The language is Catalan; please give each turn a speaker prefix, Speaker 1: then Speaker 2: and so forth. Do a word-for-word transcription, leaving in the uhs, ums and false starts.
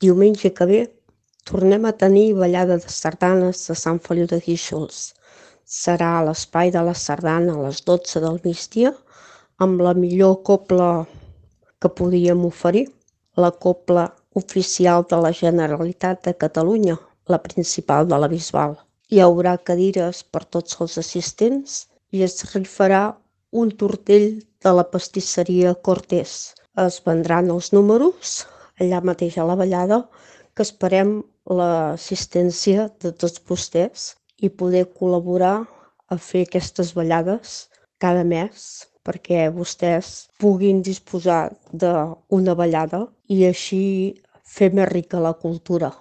Speaker 1: Diumenge que ve tornem a tenir ballada de sardanes de Sant Feliu de Guíxols. Serà a l'Espai de la Sardana a les dotze del migdia amb la millor cobla que podíem oferir, la cobla oficial de la Generalitat de Catalunya, la principal de la Bisbal. Hi haurà cadires per tots els assistents i es rifarà un tortell de la pastisseria Cortés. Es vendran els números allà mateix a la ballada, que esperem l'assistència de tots vostès i poder col·laborar a fer aquestes ballades cada mes perquè vostès puguin disposar d'una ballada i així fer més rica la cultura.